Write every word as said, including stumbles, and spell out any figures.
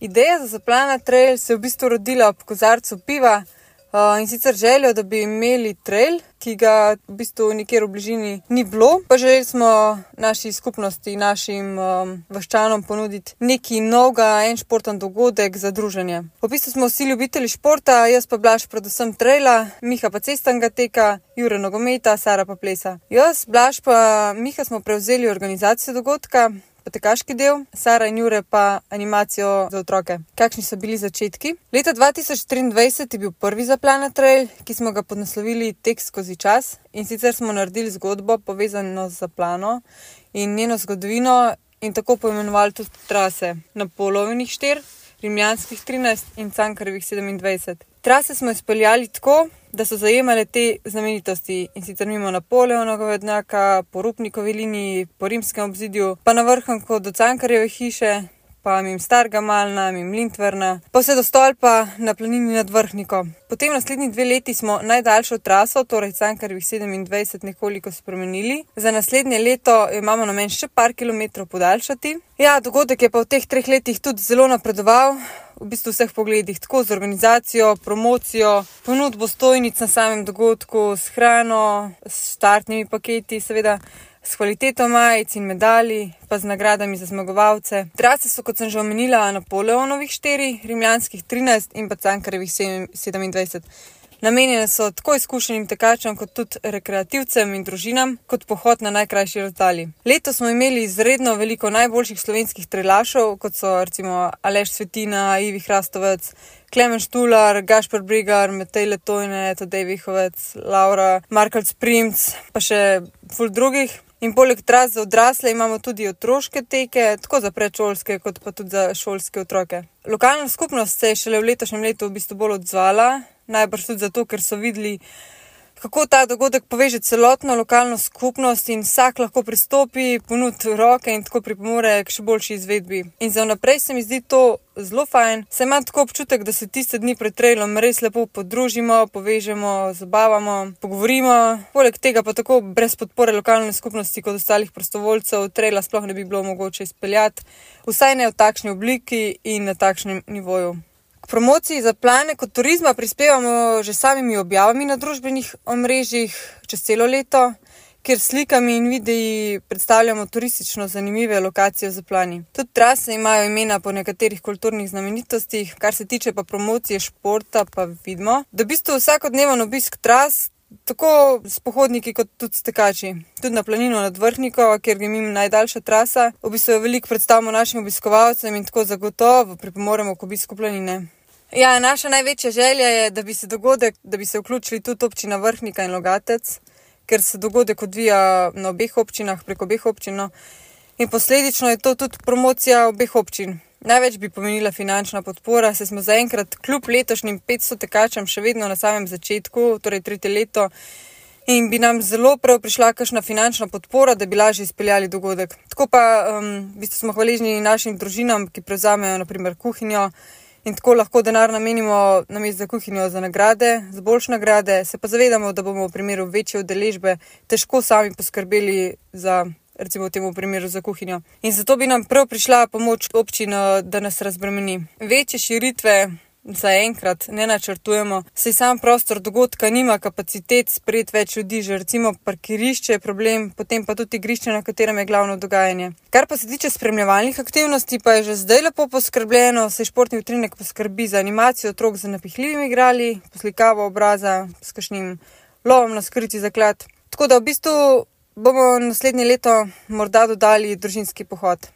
Ideja za Zaplana trail se je v bistvu rodila ob kozarcu piva uh, in sicer željo, da bi imeli trail, ki ga v bistvu nikjer v bližini ni bilo. Pa želeli smo naši skupnosti, našim um, vaščanom ponuditi nekaj novega, en športen dogodek za druženje. V bistvu smo vsi ljubitelji športa, jaz pa Blaž predvsem traila, Miha pa cestnega teka, Jure nogometa, Sara pa plesa. Jaz, Blaž pa Miha smo prevzeli organizacijo dogodka, pa tekaški del, Sara in Jure pa animacijo za otroke. Kakšni so bili začetki? Leta dva tisoč triindvajset je bil prvi Zaplana trail, ki smo ga podnaslovili Tek skozi čas, in sicer smo naredili zgodbo povezano z Zaplano in njeno zgodovino in tako poimenovali tudi trase Napoleonovih štiri, Rimljanskih trinajst in Cankarjevih sedemindvajset. Trase smo izpeljali tako, da so zajemale te znamenitosti, in sicer mimo Napoleonovega vodnjaka, po Rupnikovi liniji, po rimskem obzidju, pa na vrhunku do Cankarjeve hiše, pa mimo Starega Malna, mimo Lindtvrna, pa vse do stolpa na planini nad Vrhniko. Potem naslednji dve leti smo najdaljšo traso, torej Cankarjevih sedemindvajset, nekoliko spremenili. Za naslednje leto imamo namen še par kilometrov podaljšati. Ja, dogodek je pa v teh treh letih tudi zelo napredoval, v bistvu vseh pogledih, tako z organizacijo, promocijo, ponudbo stojnic na samem dogodku, s hrano, s štartnimi paketi, seveda s kvaliteto majic in medalji, pa z nagradami za zmagovalce. Trase so, kot sem že omenila, Napoleonovih štiri, Rimljanskih trinajst in pa Cankarjevih sedemindvajset. Namenjene so tako izkušenim tekačem, kot tudi rekreativcem in družinam, kot pohod na najkrajši razdalji. Letos smo imeli izredno veliko najboljših slovenskih trailašov, kot so recimo Aleš Svetina, Ivi Hrastovec, Klemen Štular, Gašper Brigar, Matej Letojne, Tadej Vihovec, Laura, Markelc Primc, pa še ful drugih. In poleg tras za odrasle imamo tudi otroške teke, tako za predšolske, kot pa tudi za šolske otroke. Lokalna skupnost se je šele v letošnjem letu v bistvu bolj odzvala, najbrž tudi zato, ker so videli, kako ta dogodek poveže celotno lokalno skupnost in vsak lahko pristopi, ponudi roke in tako pripomore k še boljši izvedbi. In za vnaprej se mi zdi to zelo fajn, saj imam tako občutek, da se tiste dni pred trailom res lepo podružimo, povežemo, zabavamo, pogovorimo. Poleg tega pa tako brez podpore lokalne skupnosti kot ostalih prostovoljcev traila sploh ne bi bilo mogoče izpeljati, vsaj ne v takšni obliki in na takšnem nivoju. K promociji Zaplane kot turizma prispevamo že samimi objavami na družbenih omrežjih čez celo leto, kjer slikami in videi predstavljamo turistično zanimive lokacije v Zaplani. Tudi trase imajo imena po nekaterih kulturnih znamenitostih, kar se tiče pa promocije športa, pa vidimo, da v bistvu vsakodneven obisk tras, tako s pohodniki kot tudi s tekači. Tudi na planino nad Vrhniko, kjer je mimo najdaljša trasa, v bistvu veliko predstavimo našim obiskovalcem in tako zagotovo pripomoremo k obisku planine. Ja, naša največja želja je, da bi se dogodek, da bi se vključili tudi občina Vrhnika in Logatec, ker se dogodek odvija na obeh občinah, preko obeh občin, no. In posledično je to tudi promocija obeh občin. Največ bi pomenila finančna podpora, saj smo zaenkrat kljub letošnjim petsto tekačem še vedno na samem začetku, torej tretje leto, in bi nam zelo prav prišla kakšna finančna podpora, da bi lažje izpeljali dogodek. Tako pa um, v bistvu smo hvaležni našim družinam, ki prevzamejo na primer kuhinjo, in tako lahko denar namenimo namesto za kuhinjo za nagrade, za boljše nagrade, se pa zavedamo, da bomo v primeru večje udeležbe težko sami poskrbeli za, recimo v tem primeru, za kuhinjo. In zato bi nam prav prišla pomoč občina, da nas razbremeni. Večje širitve zaenkrat ne načrtujemo, saj sam prostor dogodka nima kapacitet sprejeti več ljudi, že recimo parkirišče je problem, potem pa tudi igrišče, na katerem je glavno dogajanje. Kar pa se tiče spremljevalnih aktivnosti, pa je že zdaj lepo poskrbljeno, saj športni utrinek poskrbi za animacijo otrok z napihljivimi igrali, poslikavo obraza s kakšnim lovom na skriti zaklad. Tako da v bistvu bomo naslednje leto morda dodali družinski pohod.